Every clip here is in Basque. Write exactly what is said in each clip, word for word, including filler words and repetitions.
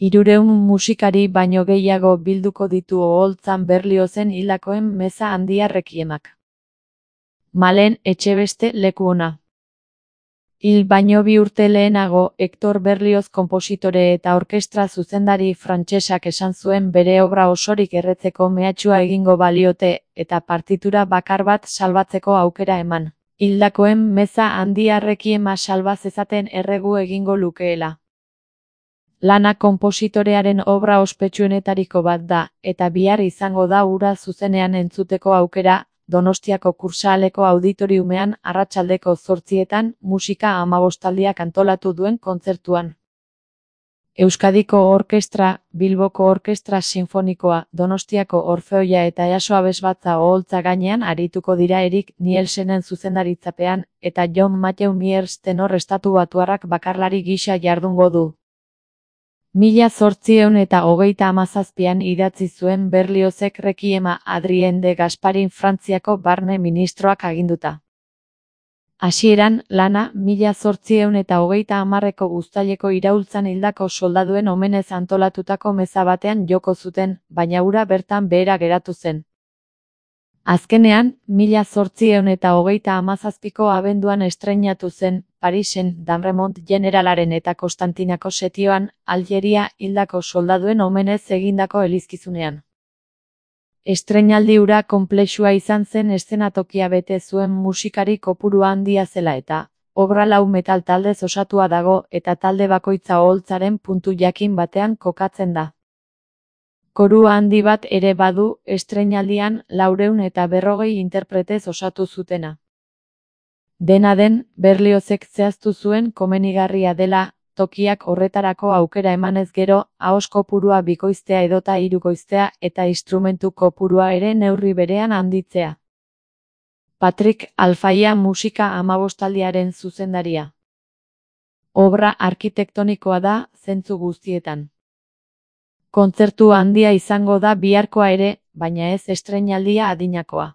Hirurehun musikari baino gehiago bilduko ditu oholtzan Berliozen hildakoen meza handia rekiemak. Malen Etxebeste leku ona. Hil baino bi urte lehenago, Hector Berlioz konpositore eta orkestra zuzendari frantsesak esan zuen bere obra osorik erretzeko mehatxua egingo baliote, eta partitura bakar bat salbatzeko aukera eman. Hildakoen meza handia rekiema salba zezaten erregu egingo lukeela. Lana konpositorearen obra ospetsuenetariko bat da, eta bihar izango da hura zuzenean entzuteko aukera, Donostiako Kursahaleko auditoriumean arratsaldeko zortzietan musika hamabostaldiak antolatu duen kontzertuan. Euskadiko Orkestra, Bilboko Orkestra Sinfonikoa, Donostiako Orfeoia eta Easo Abesbatza oholtza gainean arituko dira Erik Nielsenen zuzendaritzapean, eta John Matthew Miers tenor estatubatuarrak bakarlari gisa jardungo du. Mila zortziehun eta hogeita hamazazpian idatzi zuen Berliozek rekiema Adrien de Gasparin Frantziako barne ministroak aginduta. Hasieran, lana, mila zortziehun eta hogeita hamarreko uztaileko iraultzan hildako soldaduen omenez antolatutako meza batean joko zuten, baina hura bertan behera geratu zen. Azkenean, mila zortziehun eta hogeita hamazazpiko abenduan estreinatu zen, Parisen, Damremont generalaren eta Konstantinako setioan, Aljeria hildako soldaduen omenez egindako elizkizunean. Estreinaldi hura konplexua izan zen eszenatokia bete zuen musikari kopurua handia zela eta, obra lau metal taldez osatua dago eta talde bakoitza oholtzaren puntu jakin batean kokatzen da. Korua handi bat ere badu, estreinaldian laurehun eta berrogei interpretez osatu zutena. Dena den, Berliozek zehaztu zuen komenigarria dela, tokiak horretarako aukera emanez gero, ahos kopurua bikoiztea edota hirukoiztea eta instrumentu kopurua ere neurri berean handitzea. Patrick Alfaia musika hamabostaldiaren zuzendaria. Obra arkitektonikoa da, zentzu guztietan. Kontzertu handia izango da biharkoa ere, baina ez estreinaldia adinakoa.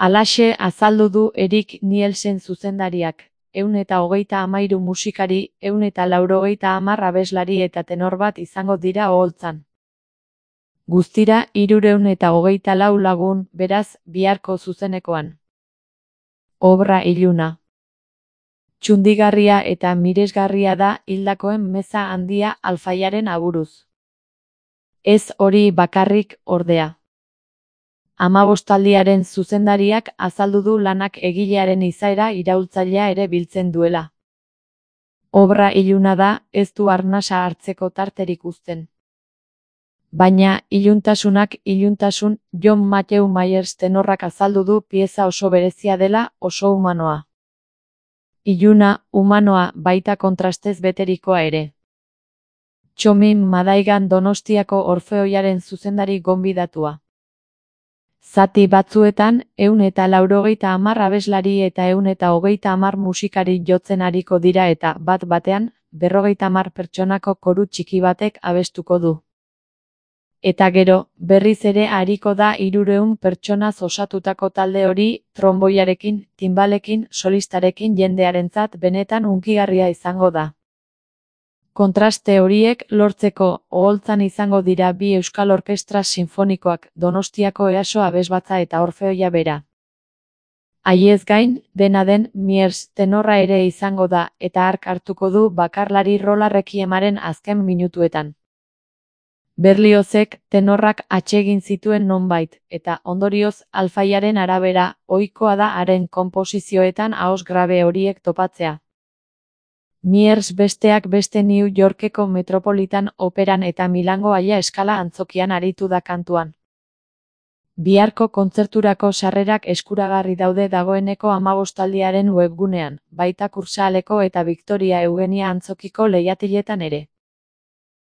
Halaxe azaldu du Erik Nielsen zuzendariak, ehun eta hogeita hamairu musikari, ehun eta laurogeita hamar abeslari eta tenor bat izango dira oholtzan. Guztira hirurehun eta hogeita lau lagun, beraz, biharko zuzenekoan. Obra iluna. Txundigarria eta miresgarria da hildakoen meza handia Alfaiaren aburuz. Ez hori bakarrik, ordea. Hamabostaldiaren zuzendariak azaldu du lanak egilearen izaera iraultzailea ere biltzen duela. Obra iluna da, ez du arnasa hartzeko tarterik uzten. Baina, iluntasunak iluntasun, John Matthew Miers tenorrak azaldu du pieza oso berezia dela, oso humanoa. Iluna, humanoa, baita kontrastez beterikoa ere. Txomin Madaigan Donostiako Orfeoiaren zuzendari gonbidatua. Zati batzuetan, ehun eta laurogeita hamar abeslari eta ehun eta hogeita hamar musikari jotzen ariko dira eta, bat batean, berrogeita hamar pertsonako koru txiki batek abestuko du. Eta gero, berriz ere ariko da hirurehun pertsonaz osatutako talde hori, tronboiarekin, timbalekin, solistarekin jendearentzat benetan hunkigarria izango da. Kontraste horiek lortzeko oholtzan izango dira bi euskal orkestra sinfonikoak, Donostiako Easo Abesbatza eta Orfeoia bera. Haiez gain, dena den, Miers tenorra ere izango da, eta hark hartuko du bakarlari rola rekiemaren azken minutuetan. Berliozek tenorrak atsegin zituen nonbait, eta ondorioz Alfaiaren arabera, ohikoa da haren konposizioetan ahos grabe horiek topatzea. Miers besteak beste New Yorkeko Metropolitan Operan eta Milango Aia Eskala antzokian aritu da kantuan. Biharko kontzerturako sarrerak eskuragarri daude dagoeneko hamabostaldiaren webgunean, baita Kursahaleko eta Victoria Eugenia antzokiko leihatiletan ere.